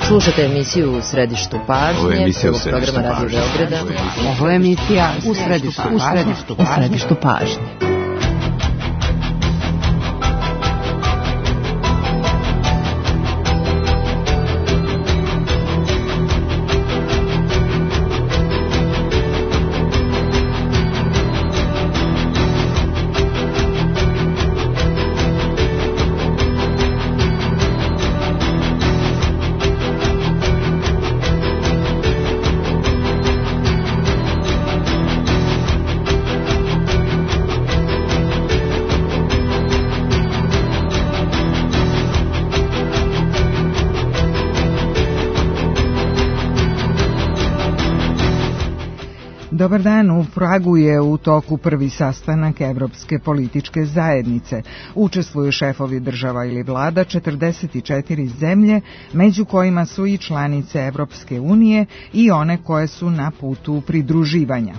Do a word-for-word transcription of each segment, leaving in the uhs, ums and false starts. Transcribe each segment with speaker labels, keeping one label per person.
Speaker 1: Slušate emisiju U središtu pažnje, prvog programa Radio Beograda.
Speaker 2: Ovo je emisija U središtu pažnje. U središtu pažnje.
Speaker 3: Dobar dan, u Pragu je u toku prvi sastanak Evropske političke zajednice. Učestvuju šefovi država ili vlada četrdeset četiri zemlje, među kojima su i članice Evropske unije i one koje su na putu pridruživanja.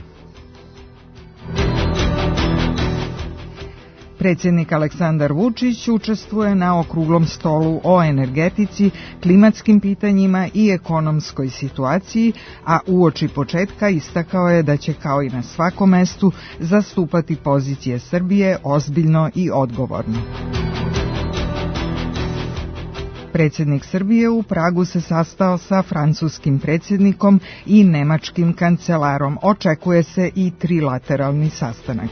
Speaker 3: Predsjednik Aleksandar Vučić učestvuje na okruglom stolu o energetici, klimatskim pitanjima i ekonomskoj situaciji, a uoči početka istakao je da će kao i na svakom mestu zastupati pozicije Srbije ozbiljno i odgovorno. Predsjednik Srbije u Pragu se sastao sa francuskim predsjednikom i nemačkim kancelarom. Očekuje se i trilateralni sastanak.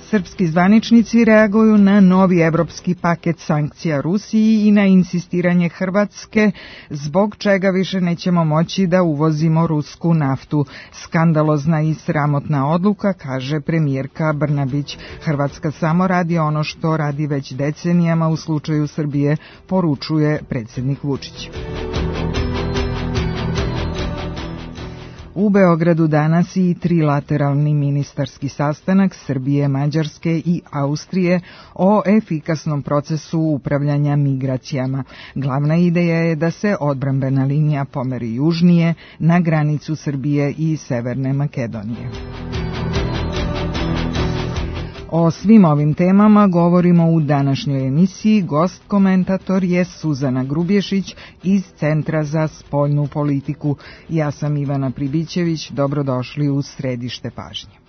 Speaker 3: Srpski zvaničnici reaguju na novi evropski paket sankcija Rusiji i na insistiranje Hrvatske, zbog čega više nećemo moći da uvozimo rusku naftu. Skandalozna i sramotna odluka, kaže premijerka Brnabić. Hrvatska samo radi ono što radi već decenijama u slučaju Srbije, poručuje predsjednik Vučić. U Beogradu danas i trilateralni ministarski sastanak Srbije, Mađarske i Austrije o efikasnom procesu upravljanja migracijama. Glavna ideja je da se odbrambena linija pomeri južnije na granicu Srbije i Severne Makedonije. O svim ovim temama govorimo u današnjoj emisiji. Gost komentator je Suzana Grubješić iz Centra za spoljnu politiku. Ja sam Ivana Pribićević, dobrodošli u središte pažnje.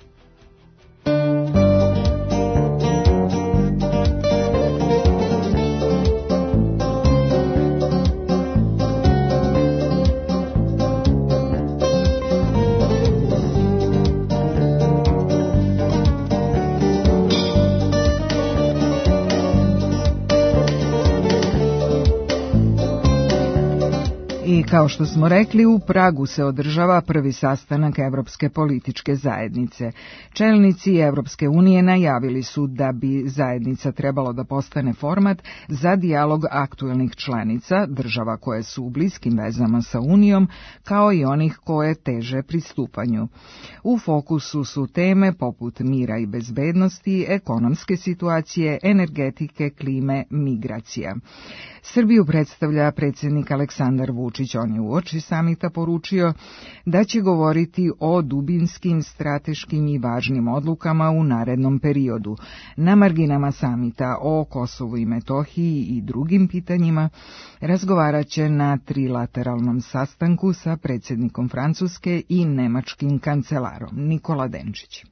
Speaker 3: I kao što smo rekli, u Pragu se održava prvi sastanak Evropske političke zajednice. Čelnici Evropske unije najavili su da bi zajednica trebalo da postane format za dijalog aktuelnih članica, država koje su u bliskim vezama sa Unijom, kao i onih koje teže pristupanju. U fokusu su teme poput mira i bezbednosti, ekonomske situacije, energetike, klime, migracija. Srbiju predstavlja predsjednik Aleksandar Vučić. On je uoči samita poručio da će govoriti o dubinskim, strateškim i važnim odlukama u narednom periodu. Na marginama samita o Kosovu i Metohiji i drugim pitanjima razgovarat će na trilateralnom sastanku sa predsjednikom Francuske i nemačkim kancelarom. Nikola Denčić.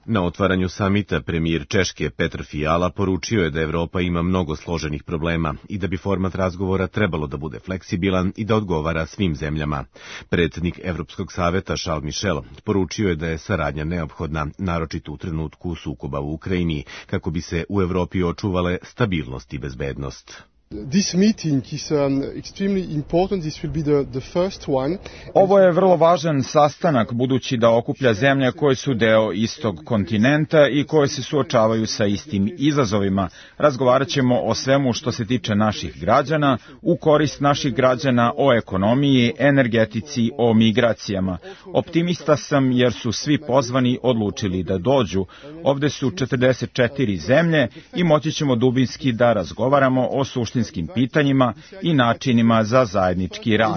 Speaker 4: Na otvaranju samita premijer Češke Petr Fiala poručio je da Evropa ima mnogo složenih problema i da bi format razgovora trebalo da bude fleksibilan i da odgovara svim zemljama. Predsjednik Evropskog saveta Charles Michel poručio je da je saradnja neophodna, naročito u trenutku sukoba u Ukrajini, kako bi se u Evropi očuvale stabilnost i bezbednost.
Speaker 5: This meeting is um, extremely important. This will be the, the first one.
Speaker 6: Ovo je vrlo važan sastanak budući da okuplja zemlje koje su deo istog kontinenta i koje se suočavaju sa istim izazovima. Razgovarat ćemo o svemu što se tiče naših građana, u korist naših građana, o ekonomiji, energetici, o migracijama. Optimista sam jer su svi pozvani odlučili da dođu. Ovde su četrdeset četiri zemlje i moći ćemo dubinski da razgovaramo o suštinskim pitanjima i načinima za zajednički rad.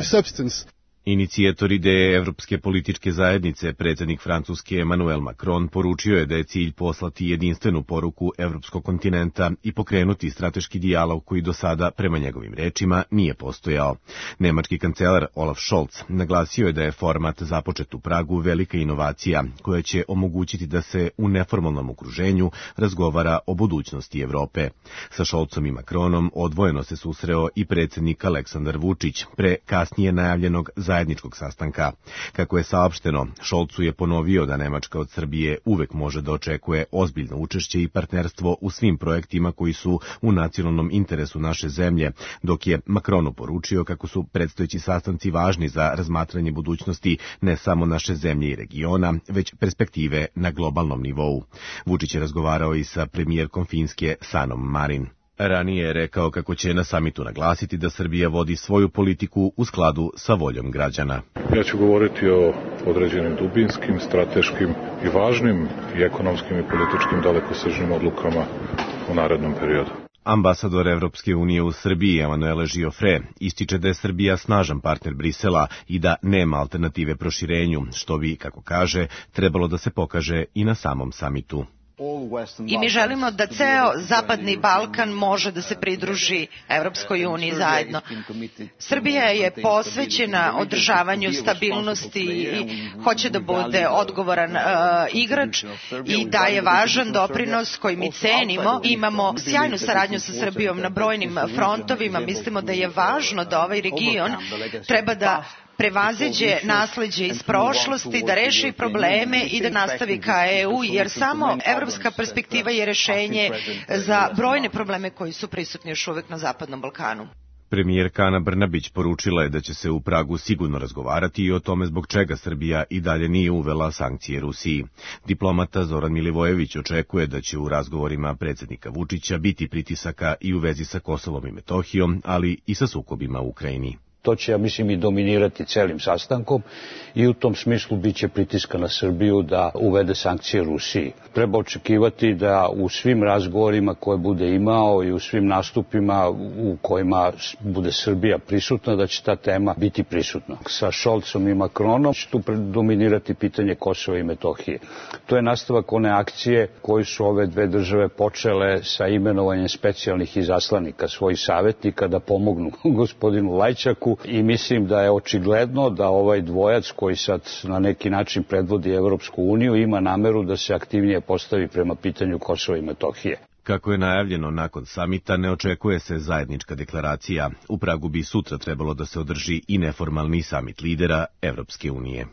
Speaker 4: Inicijator ideje Evropske političke zajednice, predsjednik Francuske Emmanuel Macron, poručio je da je cilj poslati jedinstvenu poruku evropskog kontinenta i pokrenuti strateški dijalog koji do sada, prema njegovim rečima, nije postojao. Nemački kancelar Olaf Scholz naglasio je da je format započet u Pragu velika inovacija koja će omogućiti da se u neformalnom okruženju razgovara o budućnosti Evrope. Sa Scholzom i Macronom odvojeno se susreo i predsjednik Aleksandar Vučić pre kasnije najavljenog zajedničkog sastanka. Kako je saopšteno, Scholzu je ponovio da Nemačka od Srbije uvek može da očekuje ozbiljno učešće i partnerstvo u svim projektima koji su u nacionalnom interesu naše zemlje, dok je Macronu poručio kako su predstojeći sastanci važni za razmatranje budućnosti ne samo naše zemlje i regiona, već perspektive na globalnom nivou. Vučić je razgovarao i sa premijerkom Finske Sanom Marin. Ranije je rekao kako će na samitu naglasiti da Srbija vodi svoju politiku u skladu sa voljom građana.
Speaker 7: Ja ću govoriti o određenim dubinskim, strateškim i važnim i ekonomskim i političkim dalekosežnim odlukama u narednom periodu.
Speaker 4: Ambasador Evropske unije u Srbiji, Emanuele Giofre, ističe da je Srbija snažan partner Brisela i da nema alternative proširenju, što bi, kako kaže, trebalo da se pokaže i na samom samitu.
Speaker 8: I mi želimo da ceo Zapadni Balkan može da se pridruži Evropskoj uniji zajedno. Srbija je posvećena održavanju stabilnosti i hoće da bude odgovoran uh, igrač i daje važan doprinos koji mi cenimo. Imamo sjajnu saradnju sa Srbijom na brojnim frontovima. Mislimo da je važno da ovaj region treba da prevaziđe nasleđe iz prošlosti, da reši probleme i da nastavi ka E U, jer samo evropska perspektiva je rešenje za brojne probleme koji su prisutni još uvek na Zapadnom Balkanu.
Speaker 4: Premijerka Ana Brnabić poručila je da će se u Pragu sigurno razgovarati i o tome zbog čega Srbija i dalje nije uvela sankcije Rusiji. Diplomata Zoran Milivojević očekuje da će u razgovorima predsjednika Vučića biti pritisaka i u vezi sa Kosovom i Metohijom, ali i sa sukobima u Ukrajini.
Speaker 9: To će, ja mislim, i dominirati celim sastankom i u tom smislu bit će pritiska na Srbiju da uvede sankcije Rusiji. Treba očekivati da u svim razgovorima koje bude imao i u svim nastupima u kojima bude Srbija prisutna, da će ta tema biti prisutna. Sa Scholzom i Macronom će tu dominirati pitanje Kosova i Metohije. To je nastavak one akcije koju su ove dve države počele sa imenovanjem specijalnih izaslanika, svojih savjetnika, da pomognu gospodinu Lajčaku. I mislim da je očigledno da ovaj dvojac koji sad na neki način predvodi Evropsku uniju ima nameru da se aktivnije postavi prema pitanju Kosova i Metohije.
Speaker 4: Kako je najavljeno nakon samita, ne očekuje se zajednička deklaracija. U Pragu bi sutra trebalo da se održi i neformalni samit lidera Evropske unije.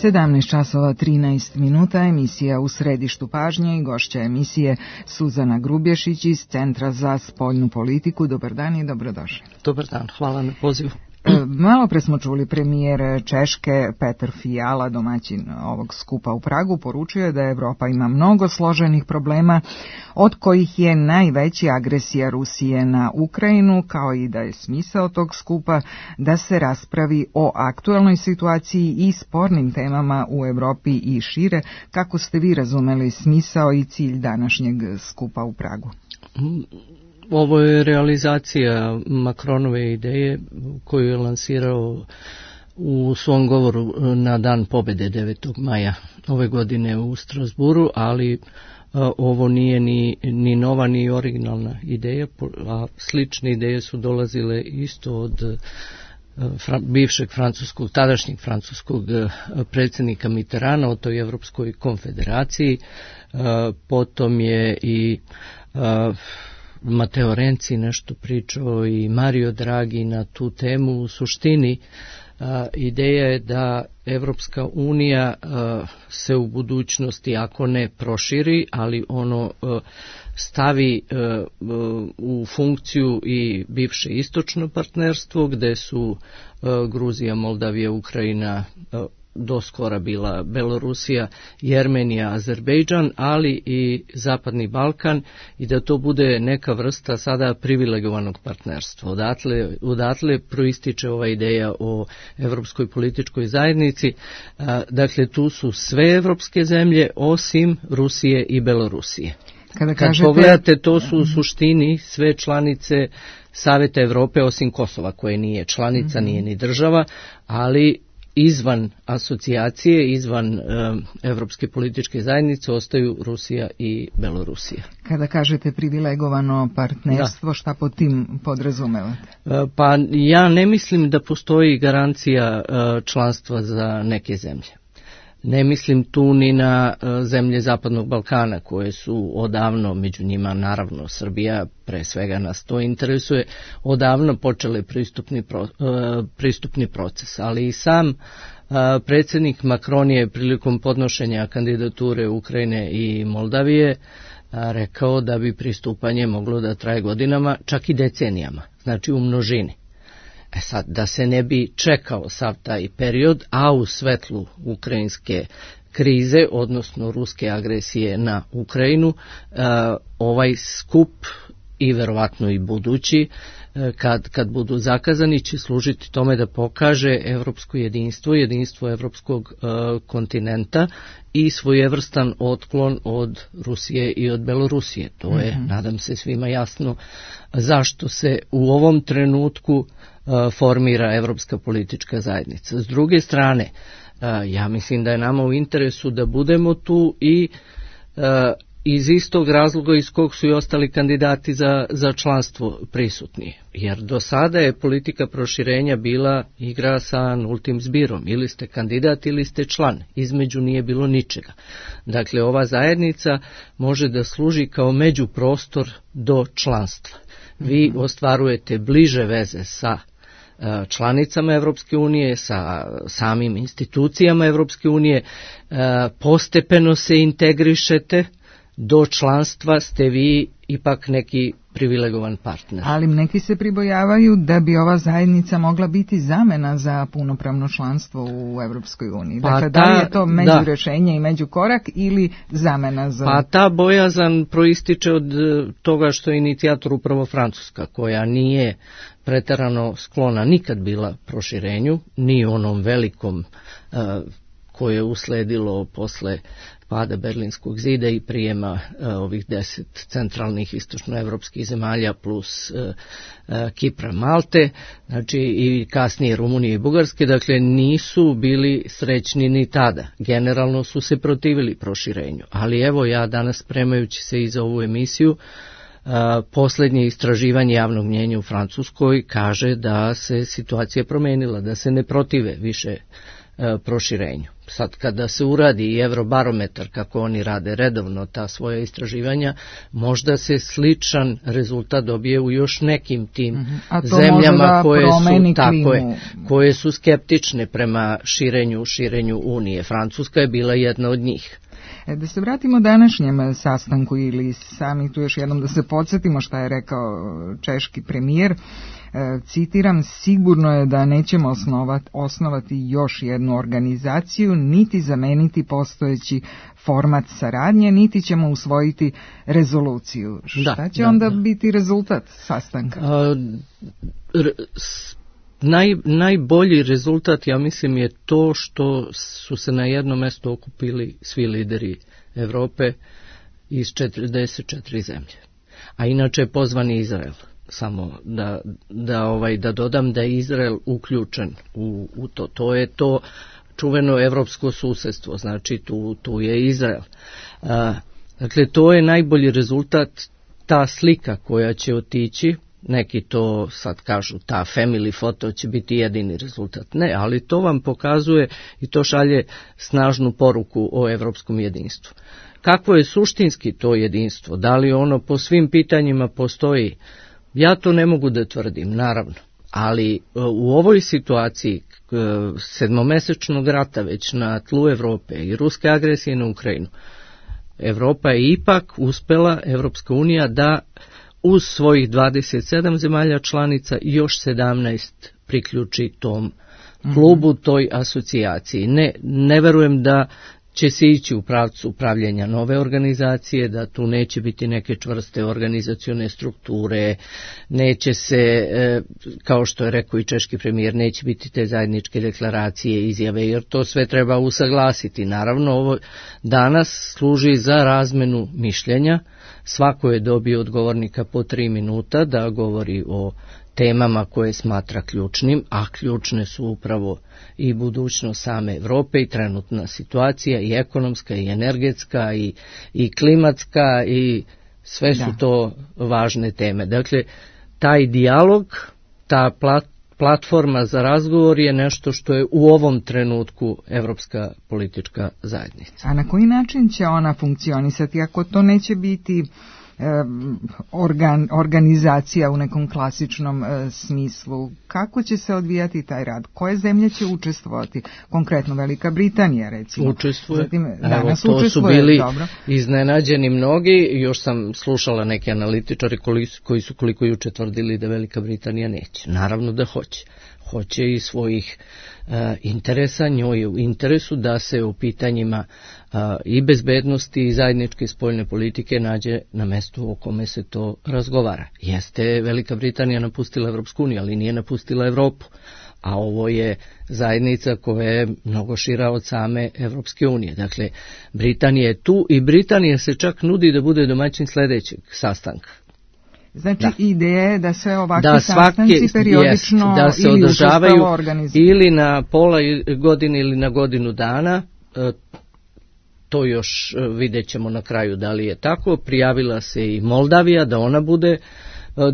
Speaker 3: sedamnaest časova trinaest minuta, emisija U središtu pažnje i gošća emisije Suzana Grubješić iz Centra za spoljnu politiku. Dobar dan i dobrodošli.
Speaker 1: Dobar dan, hvala na pozivu.
Speaker 3: Malo pre smo čuli premijer Češke Petr Fiala, domaćin ovog skupa u Pragu, poručio je da Evropa ima mnogo složenih problema, od kojih je najveći agresija Rusije na Ukrajinu, kao i da je smisao tog skupa da se raspravi o aktuelnoj situaciji i spornim temama u Evropi i šire. Kako ste vi razumeli smisao i cilj današnjeg skupa u Pragu?
Speaker 1: Ovo je realizacija Macronove ideje koju je lansirao u svom govoru na Dan pobjede devetog maja ove godine u Strasburu, ali ovo nije ni, ni nova ni originalna ideja, a slične ideje su dolazile isto od bivšeg francuskog, tadašnjeg francuskog predsjednika Mitterranda o toj Evropskoj konfederaciji. Potom je i Mateo Renzi nešto pričao i Mario Draghi na tu temu. U suštini a, ideja je da Evropska unija a, se u budućnosti, ako ne proširi, ali ono a, stavi a, a, u funkciju i bivše istočno partnerstvo, gde su a, Gruzija, Moldavija, Ukrajina a, do skora bila Belorusija, Jermenija, Azerbejdžan, ali i Zapadni Balkan i da to bude neka vrsta sada privilegovanog partnerstva. Odatle, odatle proističe ova ideja o evropskoj političkoj zajednici. Dakle, tu su sve evropske zemlje osim Rusije i Belorusije.
Speaker 3: Kada
Speaker 1: Kad
Speaker 3: kažete...
Speaker 1: pogledate, to su u suštini sve članice Saveta Evrope osim Kosova, koje nije članica, mm-hmm. nije ni država, ali izvan asocijacije, izvan e, Evropske političke zajednice ostaju Rusija i Belorusija.
Speaker 3: Kada kažete privilegovano partnerstvo, da. Šta pod tim podrazumevate?
Speaker 1: E, pa ja ne mislim da postoji garancija e, članstva za neke zemlje. Ne mislim tu ni na zemlje Zapadnog Balkana koje su odavno, među njima naravno Srbija, pre svega nas to interesuje, odavno počele pristupni, pro, pristupni proces, ali i sam predsjednik Macron je prilikom podnošenja kandidature Ukrajine i Moldavije rekao da bi pristupanje moglo da traje godinama, čak i decenijama, znači u množini. E sad, da se ne bi čekao sav taj period, a u svetlu ukrajinske krize, odnosno ruske agresije na Ukrajinu, ovaj skup i verovatno i budući, kad, kad budu zakazani, će služiti tome da pokaže evropsko jedinstvo, jedinstvo evropskog kontinenta i svojevrstan otklon od Rusije i od Belorusije. To je, mm-hmm. nadam se, svima jasno zašto se u ovom trenutku formira Evropska politička zajednica. S druge strane, ja mislim da je nama u interesu da budemo tu i iz istog razloga iz kog su i ostali kandidati za, za članstvo prisutni. Jer do sada je politika proširenja bila igra sa nultim zbirom. Ili ste kandidat ili ste član. Između nije bilo ničega. Dakle, ova zajednica može da služi kao međuprostor do članstva. Vi ostvarujete bliže veze sa članicama Evropske unije, sa samim institucijama Evropske unije, postepeno se integrišete, do članstva ste vi ipak neki privilegovan partner.
Speaker 3: Ali neki se pribojavaju da bi ova zajednica mogla biti zamena za punopravno članstvo u Evropskoj uniji. Dakle, pa ta, da li je to međurešenje i međukorak ili zamena za...
Speaker 1: Pa ta bojazan proističe od toga što je inicijator upravo Francuska, koja nije preterano sklona nikad bila proširenju, ni onom velikom uh, koje je usledilo posle pada Berlinskog zida i prijema uh, ovih deset centralnih istočnoevropskih zemalja plus uh, uh, Kipra, Malte, znači i kasnije Rumunije i Bugarske, dakle nisu bili srećni ni tada. Generalno su se protivili proširenju, ali evo ja danas spremajući se i za ovu emisiju, Uh, posljednje istraživanje javnog mnjenja u Francuskoj kaže da se situacija promenila, da se ne protive više uh, proširenju. Sad kada se uradi i Eurobarometar, kako oni rade redovno ta svoja istraživanja, možda se sličan rezultat dobije u još nekim tim mm-hmm. zemljama koje su, tako je, koje su skeptične prema širenju, širenju Unije. Francuska je bila jedna od njih.
Speaker 3: E, da se vratimo današnjem sastanku ili sami tu još jednom da se podsjetimo šta je rekao češki premijer. E, citiram, sigurno je da nećemo osnovat, osnovati još jednu organizaciju, niti zameniti postojeći format saradnje, niti ćemo usvojiti rezoluciju. Šta da, će da, onda da. biti rezultat sastanka?
Speaker 1: A, r, s... Naj, najbolji rezultat, ja mislim, je to što su se na jedno mesto okupili svi lideri Evrope iz četrdeset četiri zemlje. A inače je pozvan Izrael. Samo da, da, ovaj, da dodam da je Izrael uključen u, u to. To je to čuveno evropsko susedstvo, znači tu, tu je Izrael. A, dakle, to je najbolji rezultat, ta slika koja će otići. Neki to sad kažu, ta family foto će biti jedini rezultat. Ne, ali to vam pokazuje i to šalje snažnu poruku o evropskom jedinstvu. Kakvo je suštinski to jedinstvo? Da li ono po svim pitanjima postoji? Ja to ne mogu da tvrdim, naravno. Ali u ovoj situaciji sedmomesečnog rata već na tlu Evrope i ruske agresije na Ukrajinu, Evropa je ipak uspela, Evropska unija, da uz svojih dvadeset sedam zemalja članica i još sedamnaest priključi tom klubu, toj asocijaciji. Ne, ne verujem da će se ići u pravcu upravljanja nove organizacije, da tu neće biti neke čvrste organizacione strukture, neće se, kao što je rekao i češki premijer, neće biti te zajedničke deklaracije, izjave, jer to sve treba usaglasiti. Naravno, ovo danas služi za razmenu mišljenja. Svako je dobio od govornika po tri minuta da govori o temama koje smatra ključnim, a ključne su upravo i budućnost same Evrope i trenutna situacija, i ekonomska, i energetska, i, i klimatska, i sve su da. To važne teme. Dakle, taj dijalog, ta plat, platforma za razgovor je nešto što je u ovom trenutku Evropska politička zajednica.
Speaker 3: A na koji način će ona funkcionisati ako to neće biti Organ, organizacija u nekom klasičnom e, smislu? Kako će se odvijati taj rad? Koje zemlje će učestvovati? Konkretno Velika Britanija, recimo.
Speaker 1: Učestvuje.
Speaker 3: Zatim,
Speaker 1: danas Evo, to učestvuje, su bili dobro. Iznenađeni mnogi. Još sam slušala neke analitičari koji su koliko juče tvrdili da Velika Britanija neće. Naravno da hoće. Hoće i svojih uh, interesa, njoj je u interesu da se u pitanjima uh, i bezbednosti i zajedničke spoljne politike nađe na mestu o kome se to razgovara. Jeste Velika Britanija napustila Evropsku uniju, ali nije napustila Evropu, a ovo je zajednica koja je mnogo šira od same Evropske unije. Dakle, Britanija je tu i Britanija se čak nudi da bude domaćin sledećeg sastanka.
Speaker 3: Znači, da. Ideja je da se ovakvi da sastanci periodično
Speaker 1: jest, da se
Speaker 3: ili
Speaker 1: održavaju
Speaker 3: organizuju.
Speaker 1: Ili na pola godine ili na godinu dana, to još vidjet ćemo na kraju da li je tako. Prijavila se i Moldavija da ona bude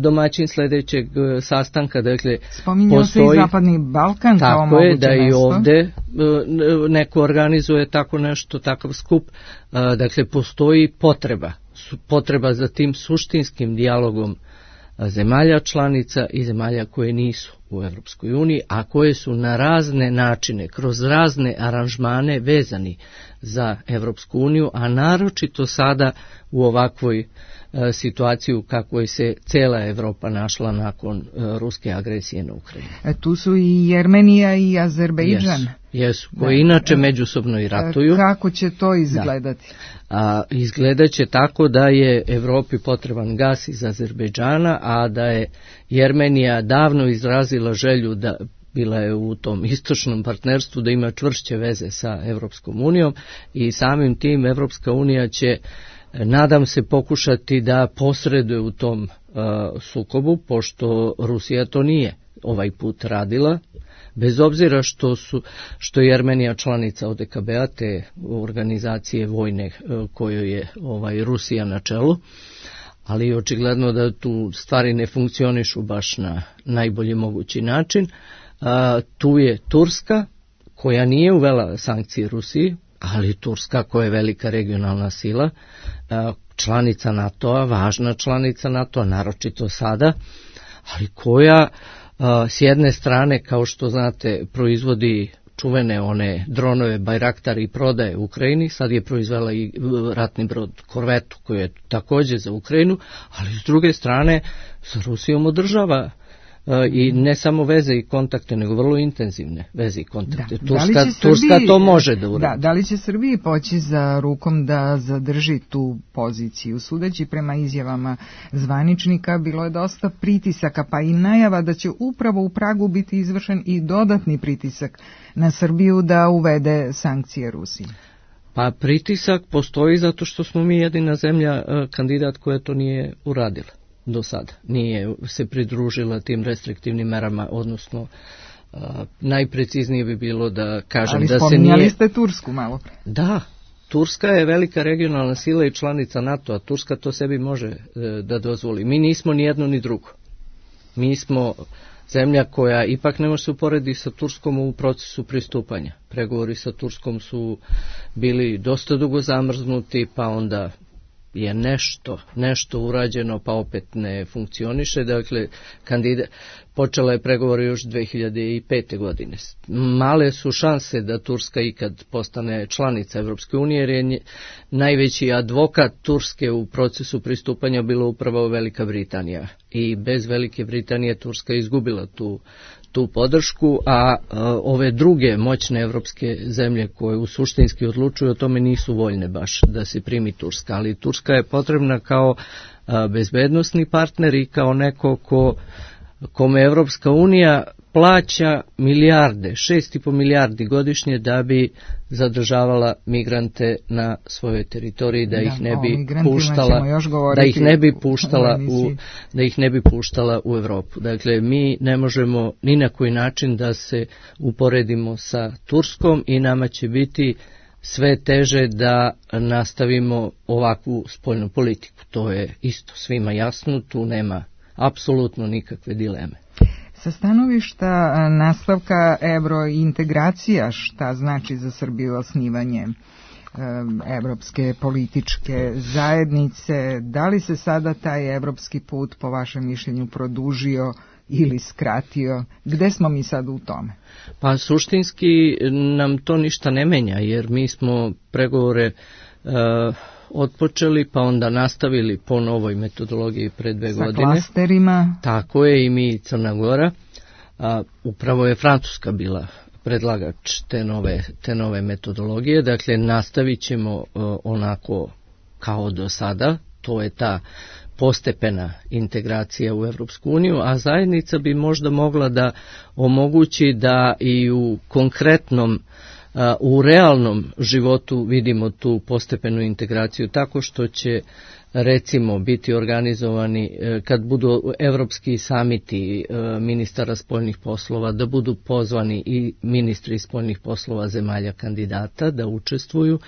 Speaker 1: domaćin sledećeg sastanka. Dakle,
Speaker 3: spominjao se i Zapadni Balkan kao moguće mesto.
Speaker 1: Tako je, da i ovde neko organizuje tako nešto, takav skup. Dakle, postoji potreba. potreba za tim suštinskim dijalogom zemalja članica i zemalja koje nisu u Evropskoj uniji, a koje su na razne načine, kroz razne aranžmane vezani za Evropsku uniju, a naročito sada u ovakvoj e, situaciji u kakvoj se cela Evropa našla nakon e, ruske agresije na Ukrajinu.
Speaker 3: E, tu su i Jermenija i Azerbejdžan.
Speaker 1: Jesu, jesu koji da. Inače međusobno i ratuju.
Speaker 3: Kako će to izgledati?
Speaker 1: Da. A, izgledat će tako da je Evropi potreban gas iz Azerbejdžana, a da je Jermenija davno izrazila želju da bila je u tom istočnom partnerstvu da ima čvršće veze sa Evropskom unijom i samim tim Evropska unija će, nadam se, pokušati da posreduje u tom uh, sukobu, pošto Rusija to nije ovaj put radila, bez obzira što su što je Jermenija članica O D K B-a, te organizacije vojne uh, kojoj je ovaj Rusija na čelu. Ali očigledno da tu stvari ne funkcionišu baš na najbolji mogući način. A, tu je Turska, koja nije uvela sankcije Rusiji, ali Turska koja je velika regionalna sila, a, članica NATO-a, važna članica NATO-a, naročito sada, ali koja a, s jedne strane, kao što znate, proizvodi čuvene one dronove Bajraktar i prodaje Ukrajini, sad je proizvela i ratni brod Korvetu koji je također za Ukrajinu, ali s druge strane sa Rusijom održava uh, i ne samo veze i kontakte, nego vrlo intenzivne veze i kontakte. Da. Turska,
Speaker 3: Da Srbiji,
Speaker 1: Turska to može da uradi.
Speaker 3: Da, da li će Srbiji poći za rukom da zadrži tu poziciju? Sudeći prema izjavama zvaničnika, bilo je dosta pritisaka, pa i najava da će upravo u Pragu biti izvršen i dodatni pritisak na Srbiju da uvede sankcije Rusiji.
Speaker 1: Pa pritisak postoji zato što smo mi jedina zemlja kandidat koja to nije uradila do sada. Nije se pridružila tim restriktivnim merama, odnosno uh, najpreciznije bi bilo da kažem
Speaker 3: ali
Speaker 1: da se nije...
Speaker 3: Ali spominjali ste Tursku malo pre.
Speaker 1: Da, Turska je velika regionalna sila i članica NATO, a Turska to sebi može uh, da dozvoli. Mi nismo ni jedno ni drugo. Mi smo zemlja koja ipak ne može se uporedi sa Turskom u procesu pristupanja. Pregovori sa Turskom su bili dosta dugo zamrznuti, pa onda je nešto, nešto urađeno, pa opet ne funkcioniše. Dakle, kandida, počela je pregovore još dve hiljade pete. godine. Male su šanse da Turska ikad postane članica Evropske unije, jer je najveći advokat Turske u procesu pristupanja bila upravo Velika Britanija. I bez Velike Britanije Turska je izgubila tu, tu podršku, a, a ove druge moćne evropske zemlje koje u suštinski odlučuju o tome nisu voljne baš da se primi Turska. Ali Turska je potrebna kao a, bezbednosni partner i kao neko ko kome Evropska unija plaća milijarde, šest i po milijardi godišnje da bi zadržavala migrante na svojoj teritoriji, da, da ih ne bi puštala, da ih ne bi puštala u, da ih ne bi puštala u Evropu. Dakle, mi ne možemo ni na koji način da se uporedimo sa Turskom i nama će biti sve teže da nastavimo ovakvu spoljnu politiku. To je isto svima jasno, tu nema apsolutno nikakve dileme.
Speaker 3: Sa stanovišta nastavka evrointegracija, šta znači za Srbiju osnivanje evropske političke zajednice, da li se sada taj evropski put po vašem mišljenju produžio ili skratio? Gde smo mi sad u tome?
Speaker 1: Pa suštinski nam to ništa ne menja, jer mi smo pregovore uh, otpočeli, pa onda nastavili po novoj metodologiji pre dve
Speaker 3: sa
Speaker 1: godine.
Speaker 3: Sa klasterima.
Speaker 1: Tako je, i mi Crna Gora. A, upravo je Francuska bila predlagač te nove, te nove metodologije. Dakle, nastavit ćemo a, onako kao do sada. To je ta postepena integracija u Evropsku uniju, a zajednica bi možda mogla da omogući da i u konkretnom u realnom životu vidimo tu postepenu integraciju tako što će recimo biti organizovani kad budu evropski samiti ministara spoljnih poslova, da budu pozvani i ministri spoljnih poslova zemalja kandidata da učestvuju,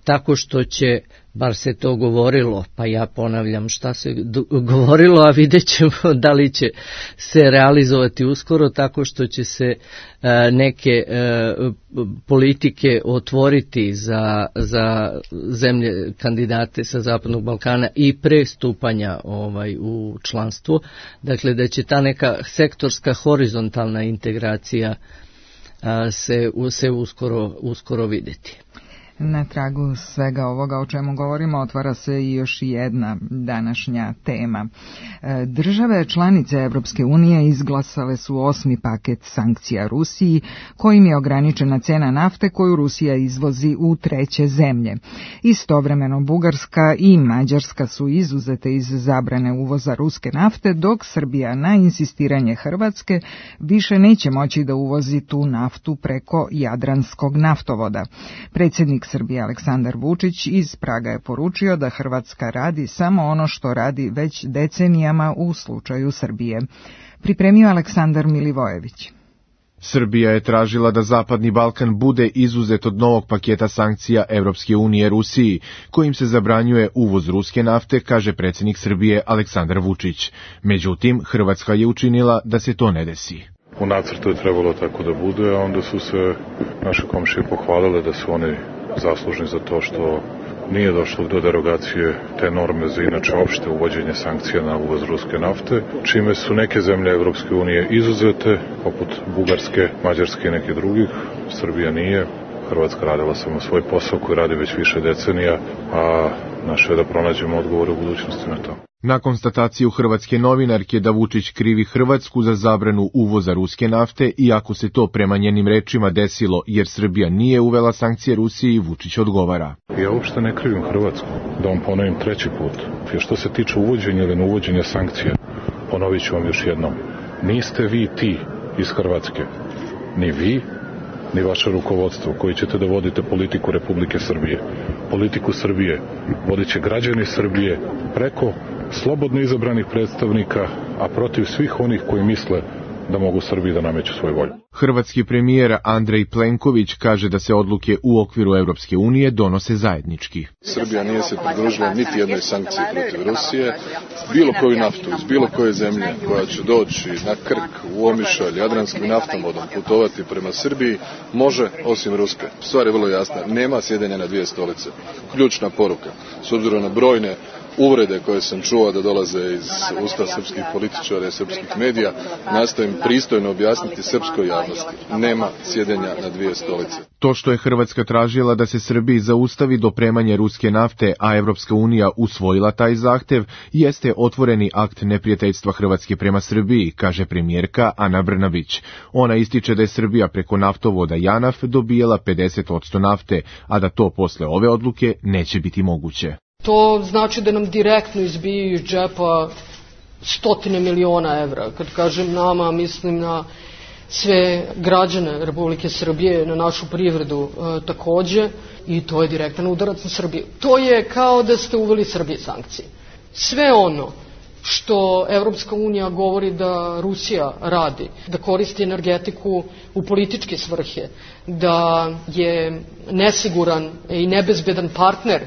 Speaker 1: tako što će, bar se to govorilo, pa ja ponavljam šta se govorilo, a vidjet ćemo da li će se realizovati uskoro, tako što će se neke politike otvoriti za, za zemlje kandidate sa Zapadnog Balkana i pre stupanja ovaj, u članstvo. Dakle, da će ta neka sektorska horizontalna integracija se, se uskoro, uskoro vidjeti.
Speaker 3: Na tragu svega ovoga o čemu govorimo otvara se i još jedna današnja tema. Države članice Evropske unije izglasale su osmi paket sankcija Rusiji, kojim je ograničena cena nafte koju Rusija izvozi u treće zemlje. Istovremeno Bugarska i Mađarska su izuzete iz zabrane uvoza ruske nafte, dok Srbija na insistiranje Hrvatske više neće moći da uvozi tu naftu preko Jadranskog naftovoda. Predsjednik Srbije Aleksandar Vučić iz Praga je poručio da Hrvatska radi samo ono što radi već decenijama u slučaju Srbije. Pripremio Aleksandar Milivojević.
Speaker 10: Srbija je tražila da Zapadni Balkan bude izuzet od novog paketa sankcija Evropske unije Rusiji, kojim se zabranjuje uvoz ruske nafte, kaže predsjednik Srbije Aleksandar Vučić. Međutim, Hrvatska je učinila da se to ne desi.
Speaker 7: U nacrtu je trebalo tako da bude, a onda su se naše komšije pohvalile da su oni zaslužni za to što nije došlo do derogacije te norme za inače opšte uvođenje sankcija na uvoz ruske nafte, čime su neke zemlje Evropske unije izuzete, poput Bugarske, Mađarske i neke drugih. Srbija nije. Hrvatska radila samo svoj posao koji radi već više decenija, a naše je da pronađemo odgovore u budućnosti na to.
Speaker 10: Na konstataciju hrvatske novinarke da Vučić krivi Hrvatsku za zabranu uvoza ruske nafte, iako se to prema njenim rečima desilo jer Srbija nije uvela sankcije Rusiji, Vučić odgovara.
Speaker 7: Ja uopšte ne krivim Hrvatsku, da vam ponovim treći put. Jer što se tiče uvođenja ili neuvođenja sankcija, ponovit ću vam još jednom. Niste vi ti iz Hrvatske, ni vi, ni vaše rukovodstvo koji ćete da vodite politiku Republike Srbije. Politiku Srbije vodit će građani Srbije preko slobodno izabranih predstavnika, a protiv svih onih koji misle da mogu Srbiji da nameću svoju volju.
Speaker 10: Hrvatski premijer Andrej Plenković kaže da se odluke u okviru Evropske unije donose zajednički.
Speaker 11: Srbija nije se pridružila niti jednoj sankciji protiv Rusije. Bilo koju naftu iz bilo koje zemlje koja će doći na Krk, u Omišalj, Jadranskim naftovodom putovati prema Srbiji, može osim ruske. Stvar je vrlo jasna. Nema sjedenja na dvije stolice. Ključna poruka. S obzirom na brojne uvrede koje sam čuo da dolaze iz usta srpskih političara i srpskih medija nastavim pristojno objasniti srpskoj javnosti. Nema sjedenja na dvije stolice.
Speaker 10: To što je Hrvatska tražila da se Srbiji zaustavi dopremanje ruske nafte, a Evropska unija usvojila taj zahtev, jeste otvoreni akt neprijateljstva Hrvatske prema Srbiji, kaže premijerka Ana Brnabić. Ona ističe da je Srbija preko naftovoda Janaf dobijala pedeset posto nafte, a da to posle ove odluke neće biti moguće.
Speaker 12: To znači da nam direktno izbiju iz džepa stotine miliona evra. Kad kažem nama, mislim na sve građane Republike Srbije, na našu privredu e, takođe, i to je direktan udarac na Srbiju. To je kao da ste uveli Srbiji sankcije. Sve ono što Evropska unija govori da Rusija radi, da koristi energetiku u političke svrhe, da je nesiguran i nebezbedan partner,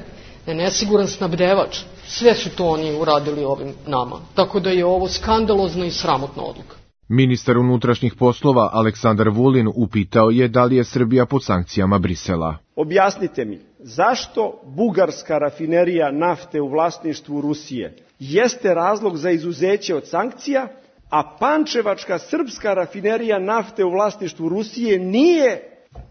Speaker 12: da je nesiguran snabdevač, sve su to oni uradili ovim nama. Tako da je ovo skandalozna i sramotna odluka.
Speaker 10: Ministar unutrašnjih poslova Aleksandar Vulin upitao je da li je Srbija pod sankcijama Brisela.
Speaker 13: Objasnite mi, zašto bugarska rafinerija nafte u vlasništvu Rusije jeste razlog za izuzeće od sankcija, a pančevačka srpska rafinerija nafte u vlasništvu Rusije nije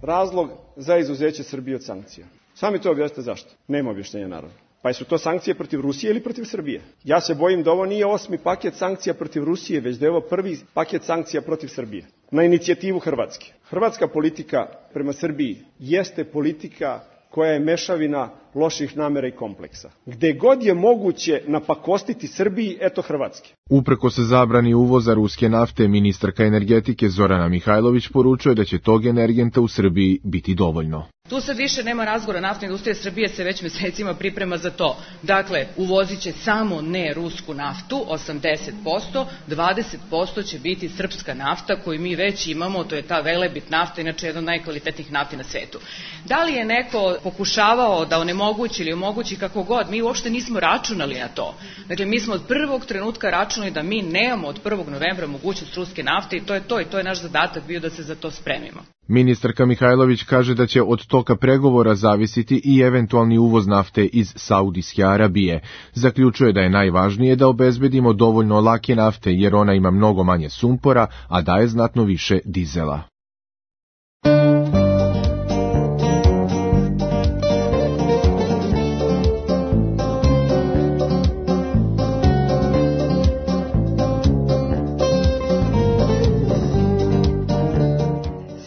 Speaker 13: razlog za izuzeće Srbije od sankcija? Sami to objasnite zašto. Nema objašnjenja naravno. Pa su to sankcije protiv Rusije ili protiv Srbije? Ja se bojim da ovo nije osmi paket sankcija protiv Rusije, već da je ovo prvi paket sankcija protiv Srbije. Na inicijativu Hrvatske. Hrvatska politika prema Srbiji jeste politika koja je mešavina loših namera i kompleksa. Gde god je moguće napakostiti Srbiji, eto Hrvatske.
Speaker 10: Uprko se zabrani uvoza ruske nafte, ministarka energetike Zorana Mihajlović poručuje da će tog energenta u Srbiji biti dovoljno.
Speaker 14: Tu sad više nema razgovora, naftna industrija Srbije se već mesecima priprema za to. Dakle, uvozit će samo ne rusku naftu, osamdeset posto, dvadeset posto će biti srpska nafta koju mi već imamo, to je ta Velebit nafta, inače jedna od najkvalitetnijih nafti na svetu. Da li je neko pokušavao da onemogući ili omogući kako god, mi uopšte nismo računali na to. Dakle, mi smo od prvog trenutka računali da mi nemamo od prvog novembra mogućnost ruske nafte i to je to i to je naš zadatak bio da se za to spremimo.
Speaker 10: Ministarka Mihajlović kaže da će od toka pregovora zavisiti i eventualni uvoz nafte iz Saudijske Arabije. Zaključuje da je najvažnije da obezbedimo dovoljno lake nafte jer ona ima mnogo manje sumpora, a daje znatno više dizela.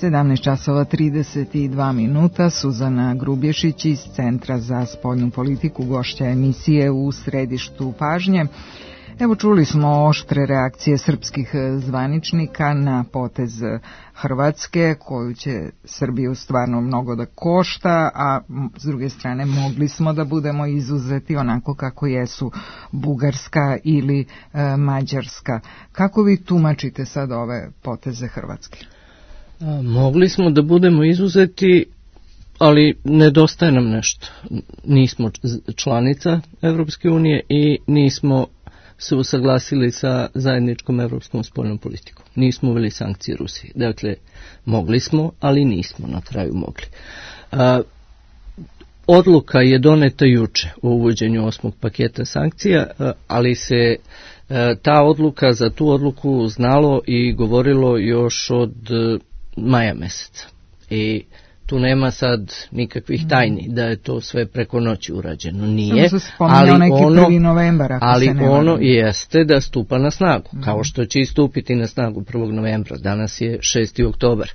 Speaker 3: sedamnaest časova trideset dva minuta, Suzana Grubješić iz Centra za spoljnu politiku, gošća emisije U središtu pažnje. Evo, čuli smo oštre reakcije srpskih zvaničnika na potez Hrvatske, koju će Srbiju stvarno mnogo da košta, a s druge strane mogli smo da budemo izuzeti onako kako jesu Bugarska ili e, Mađarska. Kako vi tumačite sad ove poteze Hrvatske?
Speaker 1: Mogli smo da budemo izuzeti, ali nedostaje nam nešto. Nismo članica Evropske unije i nismo se usaglasili sa zajedničkom evropskom spoljnom politikom. Nismo uveli sankcije Rusiji. Dakle, mogli smo, ali nismo na kraju mogli. A, odluka je doneta juče o uvođenju osmog paketa sankcija, ali se a, ta odluka, za tu odluku znalo i govorilo još od maja meseca. I tu nema sad nikakvih tajni da je to sve preko noći urađeno. Nije, ali ono,
Speaker 3: novembar,
Speaker 1: ali ono jeste da stupa na snagu, mm. kao što će i stupiti na snagu prvog novembra. Danas je šesti oktobar.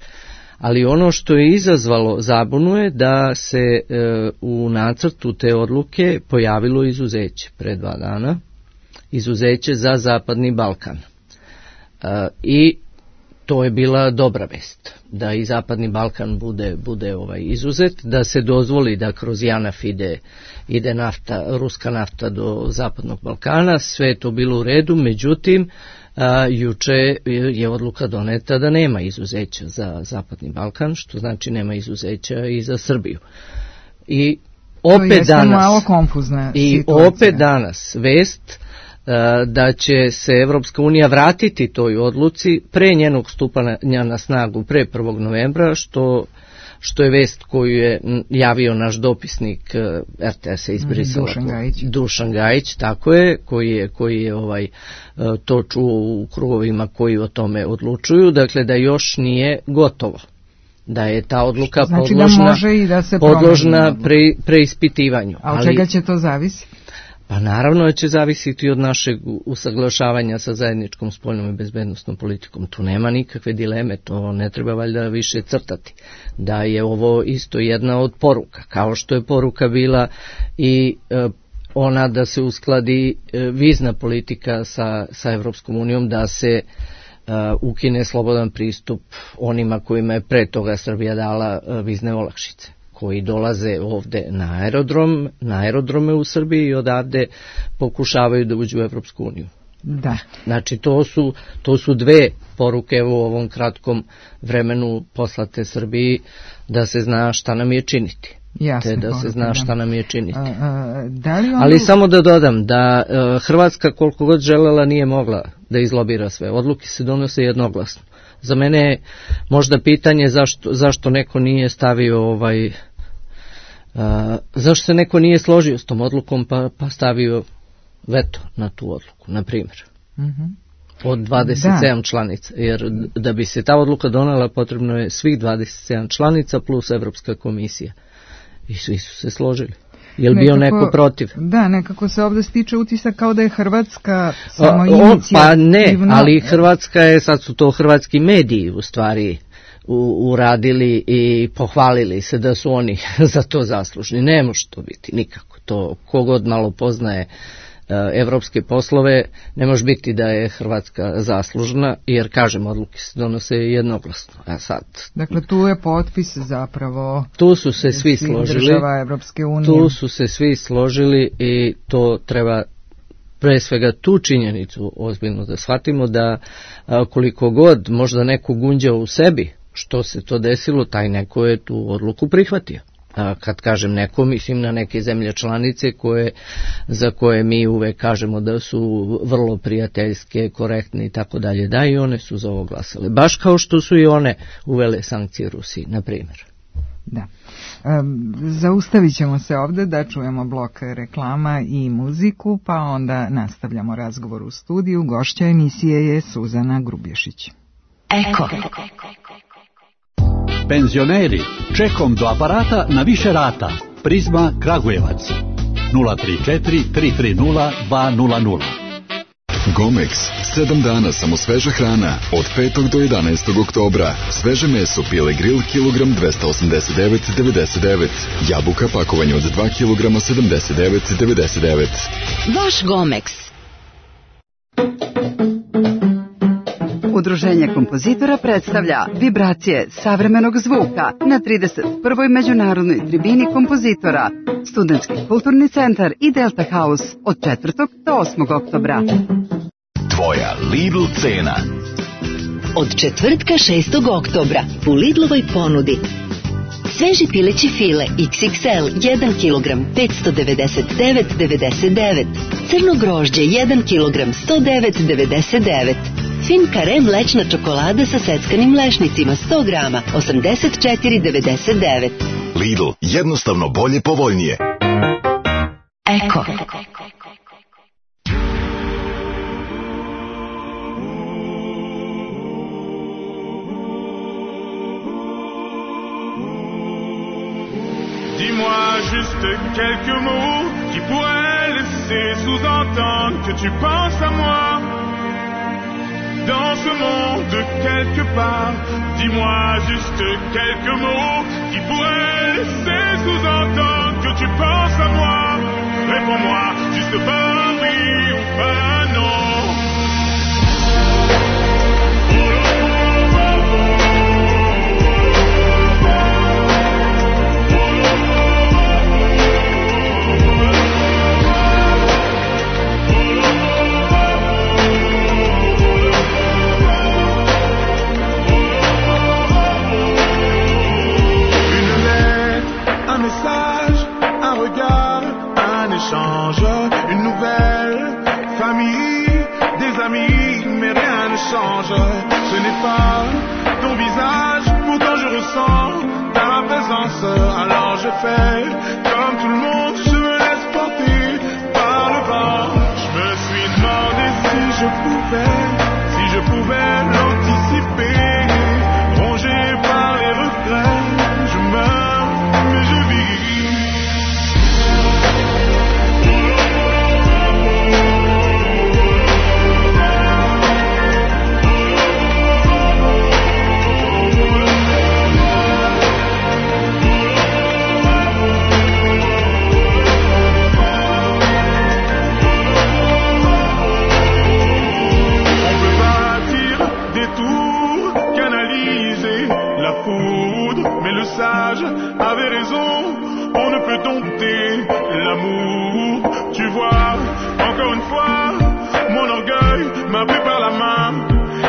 Speaker 1: Ali ono što je izazvalo zabunu je da se e, u nacrtu te odluke pojavilo izuzeće pre dva dana, izuzeće za Zapadni Balkan. E, I to je bila dobra vest, da i Zapadni Balkan bude, bude ovaj izuzet, da se dozvoli da kroz Janaf ide, ide nafta, ruska nafta do Zapadnog Balkana, sve je to bilo u redu, međutim, a, juče je odluka doneta da nema izuzeća za Zapadni Balkan, što znači nema izuzeća i za Srbiju. I opet danas,
Speaker 3: malo konfuzna
Speaker 1: i
Speaker 3: situacija.
Speaker 1: opet danas vest da će se Evropska unija vratiti toj odluci pre njenog stupanja na snagu pre prvog novembra, što, što je vest koju je javio naš dopisnik er te es-a iz Brisela.
Speaker 3: Dušan Gajić.
Speaker 1: Dušan Gajić, tako je, koji je, koji je ovaj, to čuo u krugovima koji o tome odlučuju, dakle da još nije gotovo. Da je ta odluka znači podložna,
Speaker 3: da može i da se
Speaker 1: podložna pre, preispitivanju.
Speaker 3: A od čega će to zavisi?
Speaker 1: Pa naravno će zavisiti od našeg usaglašavanja sa zajedničkom spoljnom i bezbednosnom politikom. Tu nema nikakve dileme, to ne treba valjda više crtati. Da je ovo isto jedna od poruka, kao što je poruka bila i e, ona da se uskladi e, vizna politika sa, sa Evropskom unijom, da se Uh, ukine slobodan pristup onima kojima je pre toga Srbija dala uh, vizne olakšice, koji dolaze ovde na aerodrom, na aerodrome u Srbiji i odavde pokušavaju da uđu u Evropsku uniju.
Speaker 3: Da.
Speaker 1: Znači to su, to su dve poruke u ovom kratkom vremenu poslate Srbiji, da se zna šta nam je činiti.
Speaker 3: Jasne,
Speaker 1: te da poruke, se zna šta nam je činiti.
Speaker 3: A, a, da li ono...
Speaker 1: Ali samo da dodam da uh, Hrvatska koliko god želela nije mogla da izlobira sve. Odluke se donose jednoglasno. Za mene je možda pitanje zašto, zašto neko nije stavio ovaj uh, zašto se neko nije složio s tom odlukom pa, pa stavio veto na tu odluku, na primjer.
Speaker 3: Mm-hmm.
Speaker 1: Od dvadeset sedam da. članica, jer da bi se ta odluka donela potrebno je svih dvadeset sedam članica plus Evropska komisija. I svi su se složili. Je li bio neko protiv?
Speaker 3: Da, nekako se ovdje stiče utisak kao da je Hrvatska samo inicijativno.
Speaker 1: Pa ne, ali Hrvatska je, sad su to hrvatski mediji u stvari u, uradili i pohvalili se da su oni za to zaslužni. Ne može to biti nikako. To kogod malo poznaje evropske poslove, ne može biti da je Hrvatska zaslužna, jer kažem, odluke se donose jednoglasno. A sad,
Speaker 3: dakle, tu je potpis zapravo
Speaker 1: tu su se svi složili,
Speaker 3: država Evropske unije.
Speaker 1: Tu su se svi složili i to treba pre svega tu činjenicu ozbiljno da shvatimo, da a, koliko god možda neko gunđao u sebi što se to desilo, taj neko je tu odluku prihvatio. A kad kažem neko, mislim na neke zemlje članice koje, za koje mi uvek kažemo da su vrlo prijateljske, korektne i tako dalje, da, i one su za ovo glasale. Baš kao što su i one uvele sankcije Rusiji, na primjer.
Speaker 3: Da. Um, zaustavit ćemo se ovdje da čujemo blok reklama i muziku, pa onda nastavljamo razgovor u studiju. Gošća emisije je Suzana Grubješić.
Speaker 15: Eko. Penzioneri, čekom do aparata na više rata. Prizma Kragujevac. nula tri četiri tri tri nula dva nula nula.
Speaker 16: Gomex, sedam dana samo sveža hrana, od petog do jedanaestog oktobra. Sveže meso Pile Grill, kilogram dvesta osamdeset devet devedeset devet. Jabuka pakovanje od dva kilograma sedamdeset devet devedeset devet.
Speaker 17: Vaš Gomex.
Speaker 18: Udruženje kompozitora predstavlja vibracije savremenog zvuka na trideset prvoj međunarodnoj tribini kompozitora, Studentski kulturni centar i Delta House od četvrtog do osmog oktobra.
Speaker 16: Tvoja Lidl cena.
Speaker 17: Od četvrtka šestog oktobra u Lidlovoj ponudi sveži pileći file iks iks el jedan kilogram petsto devedeset devet devedeset devet, crno grožđe jedan kilogram sto devet devedeset devet, fin kare mlečna čokolada sa seckanim lešnicima sto grama osamdeset četiri devedeset devet.
Speaker 16: Lidl, jednostavno bolje, povoljnije.
Speaker 17: Eko.
Speaker 19: Dis-moi juste quelques mots qui pourraient laisser sous-entendre que tu penses à moi. Dans ce monde quelque part, dis-moi juste quelques mots qui pourraient laisser sous-entendre que tu penses à moi. Réponds-moi juste par oui ou par non. Une nouvelle famille, des amis, mais rien ne change. Ce n'est pas ton visage, pourtant je ressens ta le faire. Comme tout le monde, je me laisse porter par le vent. Je me suis demandé si je pouvais, si je pouvais l'anticiper. Rongé par les regrets, je meurs, mais je vis. Mais le sage avait raison, on ne peut dompter l'amour. Tu vois, encore une fois, mon orgueil m'a pris par la main.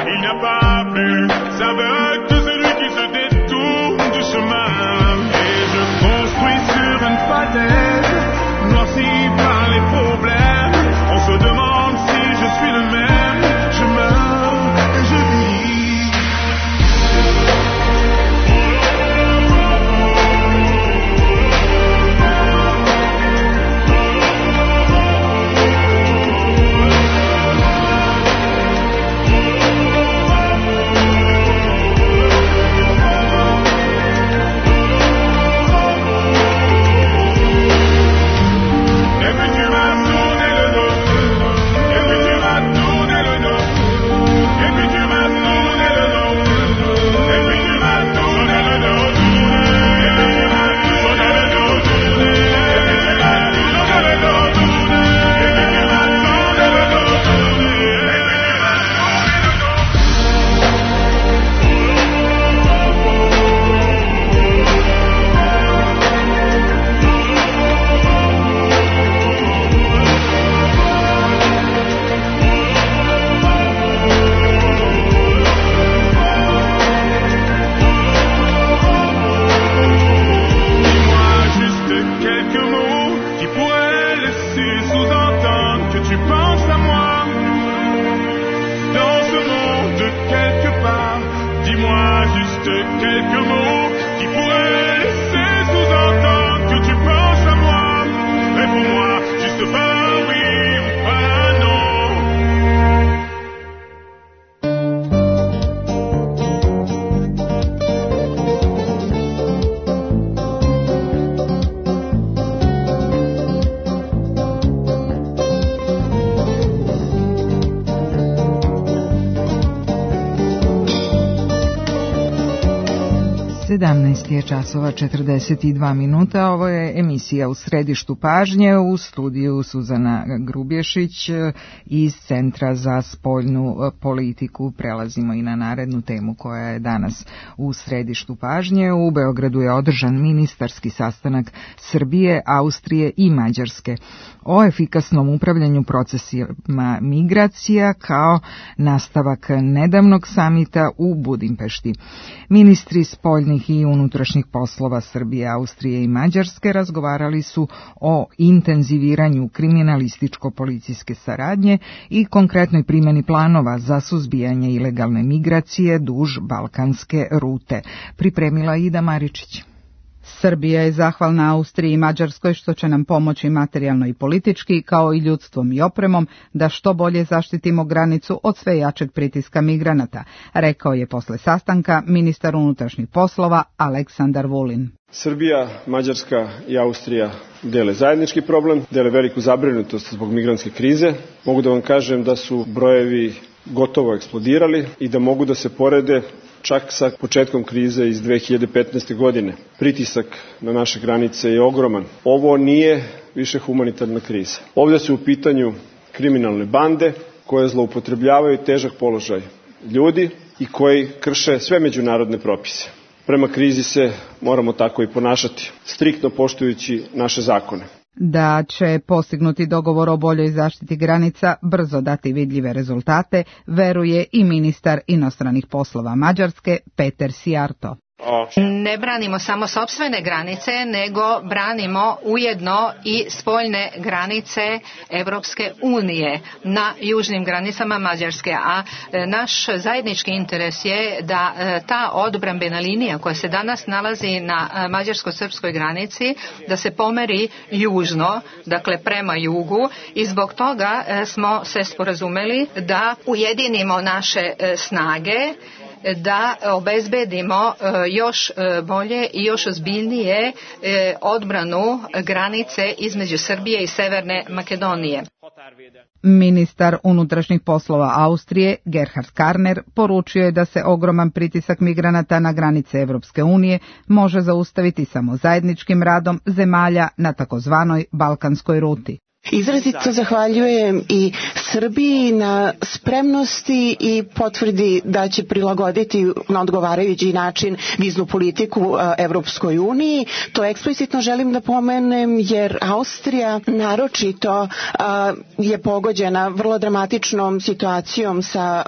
Speaker 19: Il n'y a pas plus aveugle que celui qui se détourne du chemin. Et je construis sur une falaise, noirci par les problèmes. On se demande si je suis le même. Je meurs et je vis.
Speaker 3: sedamnaest je časova četrdeset dva minuta, ovo je emisija U središtu pažnje, u studiju Suzana Grubješić iz Centra za spoljnu politiku. Prelazimo i na narednu temu koja je danas u središtu pažnje. U Beogradu je održan ministarski sastanak Srbije, Austrije i Mađarske o efikasnom upravljanju procesima migracija kao nastavak nedavnog samita u Budimpešti. Ministri spoljnih i unutrašnjih poslova Srbije, Austrije i Mađarske razgovarali su o intenziviranju kriminalističko-policijske saradnje i konkretnoj primjeni planova za suzbijanje ilegalne migracije duž balkanske rute. Pripremila Ida Maričić.
Speaker 20: Srbija je zahvalna Austriji i Mađarskoj što će nam pomoći materijalno i politički, kao i ljudstvom i opremom, da što bolje zaštitimo granicu od sve jačeg pritiska migranata, rekao je posle sastanka ministar unutrašnjih poslova Aleksandar Vulin.
Speaker 13: Srbija, Mađarska i Austrija dele zajednički problem, dele veliku zabrinutost zbog migrantske krize. Mogu da vam kažem da su brojevi gotovo eksplodirali i da mogu da se porede čak sa početkom krize iz dve hiljade petnaeste. godine. Pritisak na naše granice je ogroman. Ovo nije više humanitarna kriza. Ovdje su u pitanju kriminalne bande koje zloupotrebljavaju težak položaj ljudi i koji krše sve međunarodne propise. Prema krizi se moramo tako i ponašati, striktno poštujući naše zakone.
Speaker 20: Da će postignuti dogovor o boljoj zaštiti granica brzo dati vidljive rezultate, veruje i ministar inostranih poslova Mađarske Peter Sijarto.
Speaker 21: Ne branimo samo sopstvene granice, nego branimo ujedno i spoljne granice Evropske unije na južnim granicama Mađarske, a naš zajednički interes je da ta odbrambena linija koja se danas nalazi na mađarsko-srpskoj granici, da se pomeri južno, dakle prema jugu, i zbog toga smo se sporazumeli da ujedinimo naše snage, da obezbedimo još bolje i još ozbiljnije odbranu granice između Srbije i Severne Makedonije.
Speaker 20: Ministar unutrašnjih poslova Austrije, Gerhard Karner, poručio je da se ogroman pritisak migranata na granice Evropske unije može zaustaviti samo zajedničkim radom zemalja na takozvanoj balkanskoj ruti.
Speaker 22: Izrazito zahvaljujem i Srbiji na spremnosti i potvrdi da će prilagoditi na odgovarajući način viznu politiku Evropskoj uniji. To eksplicitno želim da pomenem jer Austrija naročito je pogođena vrlo dramatičnom situacijom sa,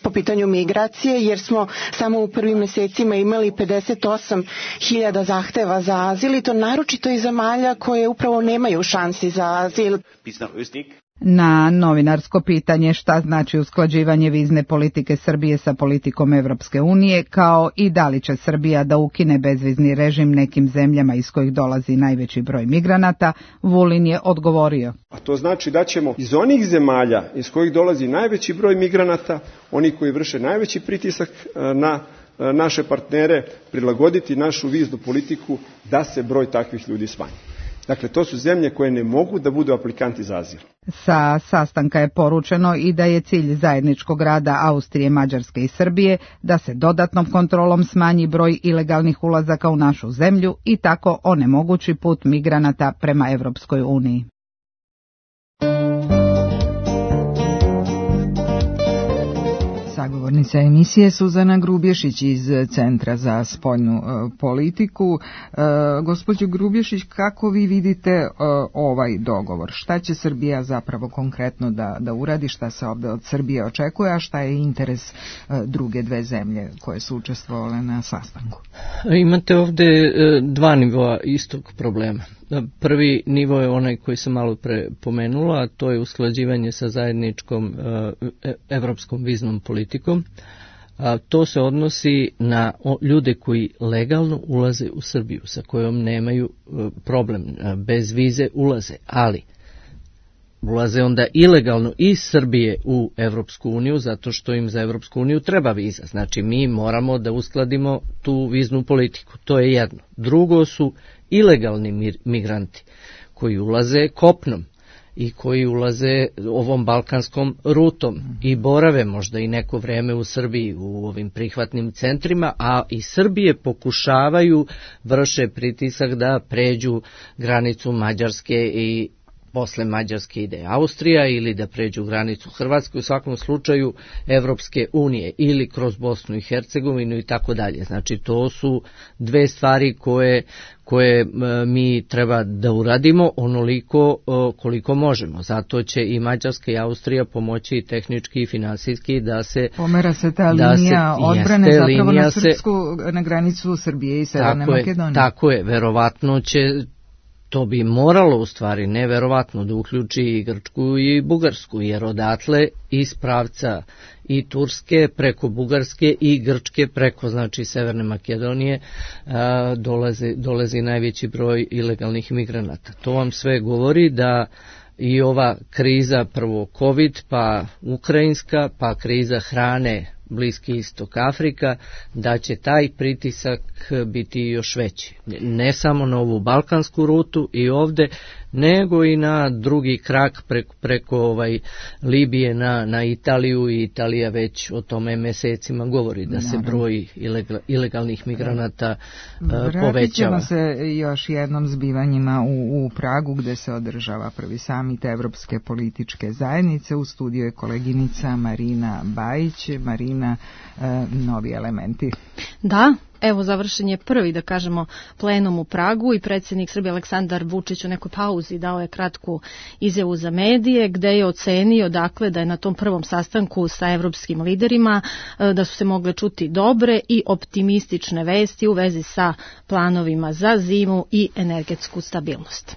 Speaker 22: po pitanju migracije, jer smo samo u prvim mesecima imali pedeset osam hiljada zahteva za azil, i to naročito iz zemalja koje upravo nemaju šansi za azil.
Speaker 20: Na novinarsko pitanje šta znači usklađivanje vizne politike Srbije sa politikom Evropske unije, kao i da li će Srbija da ukine bezvizni režim nekim zemljama iz kojih dolazi najveći broj migranata, Vulin je odgovorio.
Speaker 13: A to znači da ćemo iz onih zemalja iz kojih dolazi najveći broj migranata, oni koji vrše najveći pritisak na naše partnere, prilagoditi našu viznu politiku da se broj takvih ljudi smanji. Dakle, to su zemlje koje ne mogu da budu aplikanti za azil.
Speaker 20: Sa sastanka je poručeno i da je cilj zajedničkog rada Austrije, Mađarske i Srbije da se dodatnom kontrolom smanji broj ilegalnih ulazaka u našu zemlju i tako onemogući put migranata prema Evropskoj uniji.
Speaker 3: Sagovornica emisije Suzana Grubješić iz Centra za spoljnu e, politiku. E, gospođo Grubješić, kako vi vidite e, ovaj dogovor? Šta će Srbija zapravo konkretno da, da uradi, šta se ovde od Srbije očekuje, a šta je interes e, druge dve zemlje koje su učestvovale na sastanku?
Speaker 1: Imate ovde e, dva nivoa istog problema. Prvi nivo je onaj koji sam malo pre pomenula, a to je usklađivanje sa zajedničkom e, evropskom viznom politikom. A, to se odnosi na o, ljude koji legalno ulaze u Srbiju, sa kojom nemaju e, problem, e, bez vize ulaze, ali ulaze onda ilegalno iz Srbije u Evropsku uniju, zato što im za Evropsku uniju treba viza. Znači, mi moramo da uskladimo tu viznu politiku. To je jedno. Drugo su ilegalni migranti koji ulaze kopnom i koji ulaze ovom balkanskom rutom i borave možda i neko vreme u Srbiji u ovim prihvatnim centrima, a i Srbije pokušavaju, vrše pritisak da pređu granicu Mađarske i posle Mađarske ide Austrija, ili da pređu granicu Hrvatske, u svakom slučaju Evropske unije, ili kroz Bosnu i Hercegovinu i tako dalje. Znači, to su dve stvari koje, koje mi treba da uradimo onoliko koliko možemo. Zato će i Mađarska i Austrija pomoći i tehnički i finansijski da se...
Speaker 3: Pomera se ta linija se, odbrane jeste, zapravo na srpsku, se, na granicu Srbije i Severne Makedonije.
Speaker 1: Tako je, verovatno će... To bi moralo u stvari neverovatno da uključi i Grčku i Bugarsku, jer odatle iz pravca i Turske preko Bugarske i Grčke preko, znači, Severne Makedonije a, dolazi, dolazi najveći broj ilegalnih migranata. To vam sve govori da i ova kriza, prvo COVID, pa ukrajinska, pa kriza hrane, Bliski istok, Afrika, da će taj pritisak biti još veći. Ne samo na ovu balkansku rutu i ovde, nego i na drugi krak preko, preko ovaj Libije na, na Italiju, i Italija već o tome mesecima govori da se broj ilegal, ilegalnih migranata uh, povećava.
Speaker 3: Vratit ćemo se još jednom zbivanjima u, u Pragu, gde se održava prvi samit Evropske političke zajednice. U studiju je koleginica Marina Bajić. Marina, uh, novi elementi.
Speaker 23: Da,
Speaker 2: Evo, završen je prvi, da kažemo, plenum u Pragu i predsjednik Srbije Aleksandar Vučić u nekoj pauzi dao je kratku izjavu za medije gde je ocenio dakle da je na tom prvom sastanku sa evropskim liderima da su se mogle čuti dobre i optimistične vesti u vezi sa planovima za zimu i energetsku stabilnost.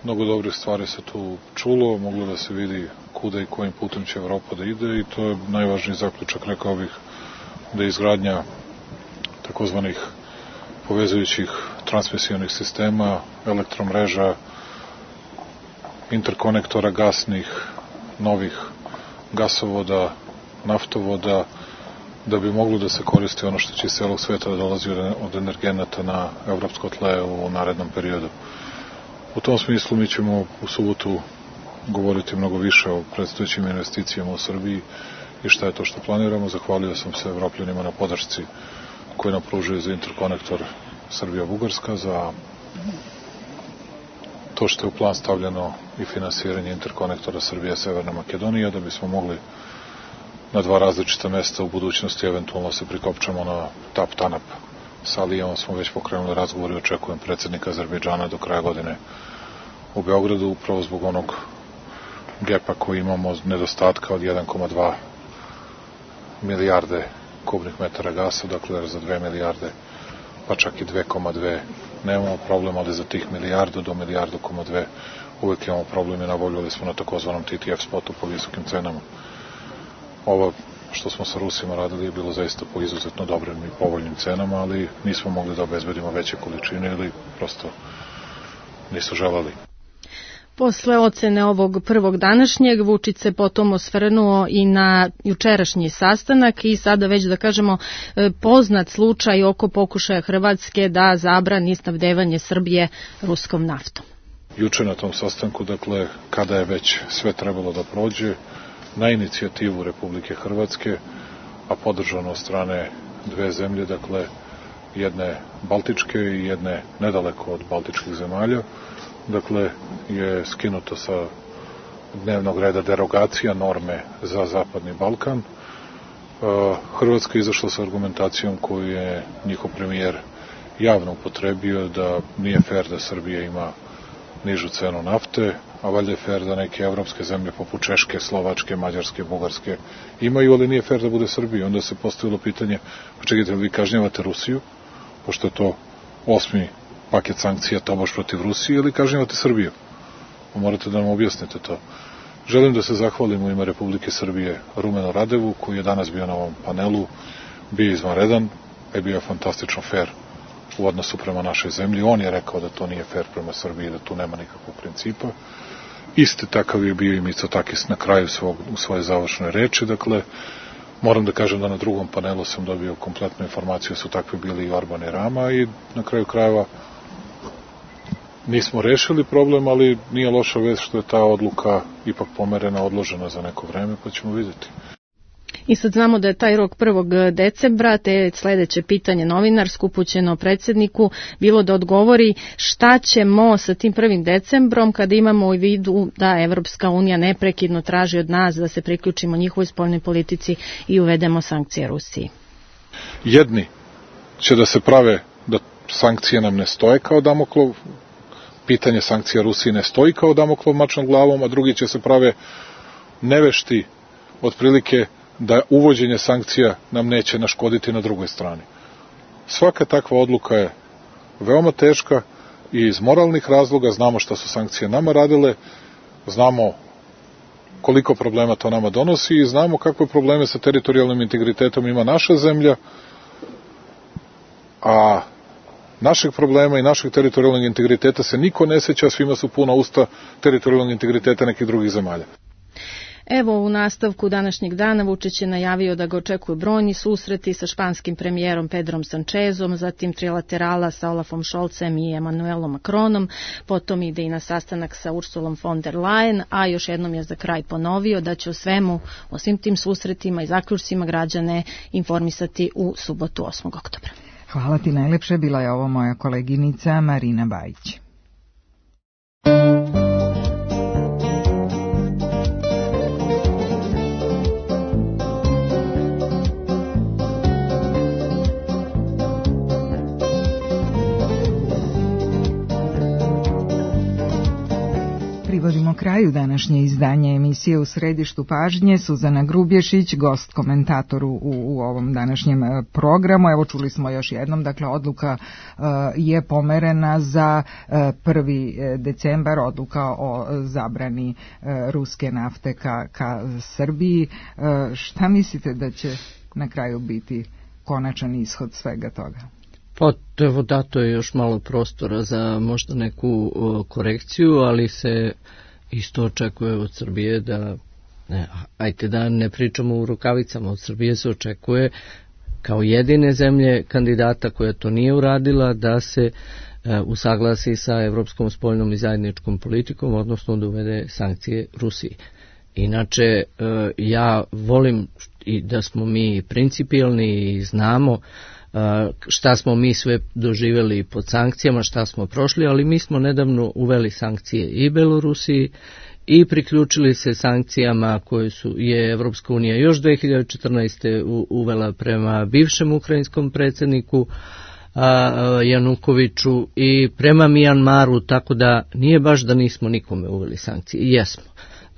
Speaker 7: Mnogo dobrih stvari se tu čulo, moglo da se vidi kuda i kojim putem će Evropa da ide i to je najvažniji zaključak, rekao bih, da je izgradnja takozvanih povezujućih transmisijonih sistema, elektromreža, interkonektora gasnih, novih gasovoda, naftovoda, da bi moglo da se koristi ono što će iz celog sveta da dolazi od energenata na evropsko tle u narednom periodu. U tom smislu mi ćemo u subotu govoriti mnogo više o predstojećim investicijama u Srbiji i šta je to što planiramo. Zahvalio sam se Evropljanima na podršci koje nam pružaju za interkonektor Srbija-Bugarska, za to što je u plan stavljeno i finansiranje interkonektora Srbija-Severna Makedonija, da bismo mogli na dva različita mesta u budućnosti eventualno se prikopčamo na Tap-Tanap. Sa Alijevom smo već pokrenuli razgovor i očekujem predsjednika Azerbejdžana do kraja godine u Beogradu, upravo zbog onog gepa koji imamo, nedostatka od jedan zarez dva milijarde kubnih metara gasa, dakle za dve milijarde, pa čak i dve zarez dve nemamo problem, ali za tih milijardu do milijardu koma dve uvek imamo problem i nabavljali smo na takozvanom T T F spotu po visokim cenama. Ovo što smo sa Rusima radili je bilo zaista po izuzetno dobrim i povoljnim cenama, ali nismo mogli da obezbedimo veće količine ili prosto nisu želeli.
Speaker 2: Posle ocene ovog prvog današnjeg, Vučić se potom osvrnuo i na jučerašnji sastanak i sada već da kažemo poznat slučaj oko pokušaja Hrvatske da zabrani snabdevanje Srbije ruskom naftom.
Speaker 7: Juče na tom sastanku, dakle, kada je već sve trebalo da prođe, na inicijativu Republike Hrvatske, a podržano od strane dve zemlje, dakle, jedne baltičke i jedne nedaleko od baltičkih zemalja, dakle, je skinuto sa dnevnog reda derogacija norme za Zapadni Balkan. Hrvatska je izašla sa argumentacijom koju je njihov premijer javno upotrebio da nije fair da Srbija ima nižu cenu nafte, a valjda je fair da neke evropske zemlje poput Češke, Slovačke, Mađarske, Bugarske imaju, ali nije fair da bude Srbija. Onda se postavilo pitanje, pa čekajte, vi kažnjavate Rusiju, pošto je to osmi paket sankcija tobož protiv Rusije, ili kažnjavate Srbiju? Morate da nam objasnite to. Želim da se zahvalim u ime Republike Srbije Rumenu Radevu, koji je danas bio na ovom panelu, bio izvanredan, je bio fantastično fair u odnosu prema našoj zemlji. On je rekao da to nije fair prema Srbiji, da tu nema nikakvog principa. Isti takav je bio i Mitsotakis na kraju svog, u svoje završnoj reči. Dakle, moram da kažem da na drugom panelu sam dobio kompletnu informaciju, su takvi bili i Orban i Rama i na kraju krajeva nismo rešili problem, ali nije loša vest što je ta odluka ipak pomerena, odložena za neko vreme, pa ćemo vidjeti.
Speaker 2: I sad znamo da je taj rok prvog decembra, te sledeće pitanje novinarsko upućeno predsjedniku bilo da odgovori šta ćemo sa tim prvim decembrom kada imamo u vidu da Evropska unija neprekidno traži od nas da se priključimo njihovoj spoljnoj politici i uvedemo sankcije Rusiji.
Speaker 7: Jedni će da se prave da sankcije nam ne stoje kao Damoklov, pitanje sankcija Rusiji ne stoji kao Damoklov mač nad glavom, a drugi će se prave nevešti otprilike da uvođenje sankcija nam neće naškoditi na drugoj strani. Svaka takva odluka je veoma teška i iz moralnih razloga znamo šta su sankcije nama radile, znamo koliko problema to nama donosi i znamo kakve probleme sa teritorijalnim integritetom ima naša zemlja, a našeg problema i našeg teritorijalnog integriteta se niko ne seća, svima su puna usta teritorijalnog integriteta nekih drugih zemalja.
Speaker 2: Evo, u nastavku današnjeg dana Vučić je najavio da ga očekuju brojni susreti sa španskim premijerom Pedrom Sančezom, zatim trilaterala sa Olafom Šolcem i Emanuelom Macronom, potom ide i na sastanak sa Ursulom von der Leyen, a još jednom je za kraj ponovio da će o svemu, o svim tim susretima i zaključcima građane informisati u subotu osmog oktobra.
Speaker 3: Hvala ti najlepše, bila je ovo moja koleginica Marina Bajić. kraju današnje izdanje emisije U središtu pažnje. Suzana Grubješić, gost komentator u, u ovom današnjem programu. Evo, čuli smo još jednom, dakle odluka uh, je pomerena za uh, prvi decembar, odluka o zabrani uh, ruske nafte ka, ka Srbiji. Uh, šta mislite da će na kraju biti konačan ishod svega toga?
Speaker 1: Pa evo, dato je još malo prostora za možda neku o, korekciju, ali se isto očekuje od Srbije da, ne, ajte da ne pričamo u rukavicama, od Srbije se očekuje kao jedine zemlje kandidata koja to nije uradila da se e, usaglasi sa evropskom spoljnom i zajedničkom politikom, odnosno da uvede sankcije Rusiji. Inače, e, ja volim i da smo mi principijelni i znamo šta smo mi sve doživjeli pod sankcijama, šta smo prošli, ali mi smo nedavno uveli sankcije i Belorusiji i priključili se sankcijama koje su je Evropska unija još dve hiljade četrnaeste. uvela prema bivšem ukrajinskom predsjedniku Janukoviću i prema Mijanmaru, tako da nije baš da nismo nikome uveli sankcije. Jesmo.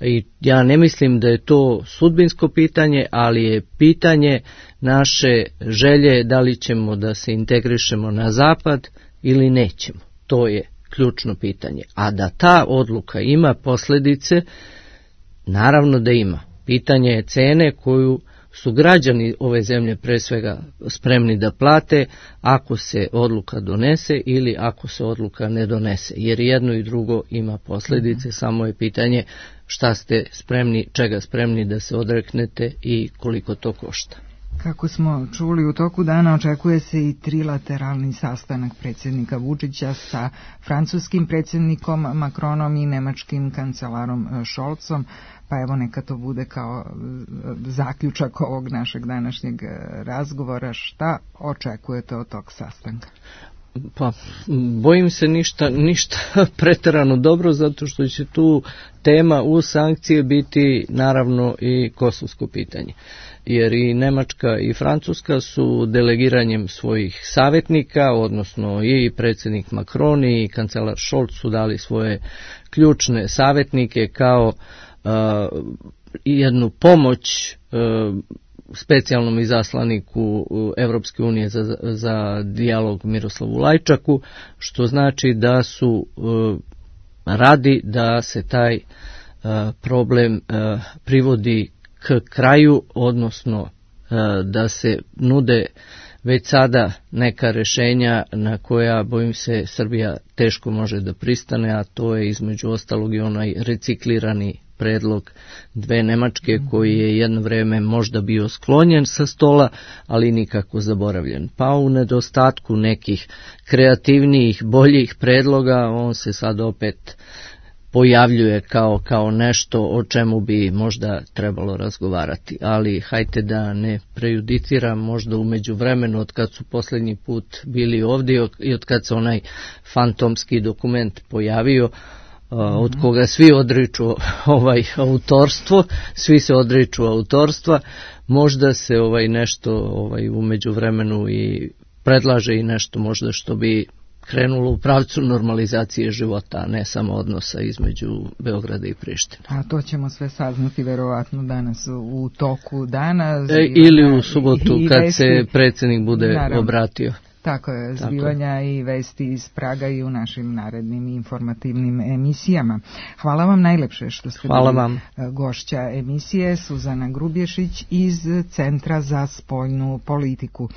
Speaker 1: I ja ne mislim da je to sudbinsko pitanje, ali je pitanje naše želje da li ćemo da se integrišemo na zapad ili nećemo. To je ključno pitanje. A da ta odluka ima posljedice, naravno da ima. Pitanje je cene koju su građani ove zemlje pre svega spremni da plate ako se odluka donese ili ako se odluka ne donese. Jer jedno i drugo ima posljedice, mm-hmm. samo je pitanje šta ste spremni, čega spremni da se odreknete i koliko to košta.
Speaker 3: Kako smo čuli, u toku dana očekuje se i trilateralni sastanak predsjednika Vučića sa francuskim predsjednikom Macronom i nemačkim kancelarom Scholzom, pa evo neka to bude kao zaključak ovog našeg današnjeg razgovora. Šta očekujete od tog sastanka?
Speaker 1: Pa, bojim se ništa, ništa preterano dobro, zato što će tu tema uz sankcije biti naravno i kosovsko pitanje. Jer i Nemačka i Francuska su delegiranjem svojih savjetnika, odnosno i predsjednik Macron i kancelar Scholz su dali svoje ključne savjetnike kao uh, jednu pomoć uh, specijalnom izaslaniku Evropske unije za, za dijalog Miroslavu Lajčaku, što znači da su uh, radi da se taj uh, problem uh, privodi k kraju, odnosno uh, da se nude već sada neka rješenja na koja, bojim se, Srbija teško može da pristane, a to je između ostalog i onaj reciklirani predlog dve Nemačke koji je jedno vrijeme možda bio sklonjen sa stola, ali nikako zaboravljen. Pa u nedostatku nekih kreativnijih, boljih predloga, on se sad opet pojavljuje kao, kao nešto o čemu bi možda trebalo razgovarati. Ali hajte da ne prejudiciram, možda u međuvremenu od kad su posljednji put bili ovdje i od kad se onaj fantomski dokument pojavio, od koga svi odriču ovaj autorstvo, svi se odriču autorstva, možda se ovaj nešto ovaj u međuvremenu i predlaže i nešto možda što bi krenulo u pravcu normalizacije života, a ne samo odnosa između Beograda i Prištine.
Speaker 3: A to ćemo sve saznati verovatno danas u toku dana.
Speaker 1: E, ili u subotu i, i kad vesti, se predsjednik bude naravno obratio.
Speaker 3: Tako je, zbivanja Tako. i vesti iz Praga i u našim narednim informativnim emisijama. Hvala vam najlepše što ste
Speaker 1: Hvala
Speaker 3: bili
Speaker 1: vam.
Speaker 3: gošća emisije. Suzana Grubješić iz Centra za spoljnu politiku.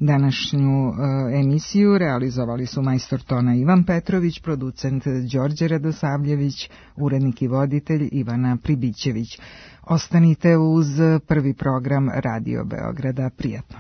Speaker 3: Današnju uh, emisiju realizovali su majstor tona Ivan Petrović, producent Đorđe Radosavljević, urednik i voditelj Ivana Pribićević. Ostanite uz prvi program Radio Beograda. Prijatno.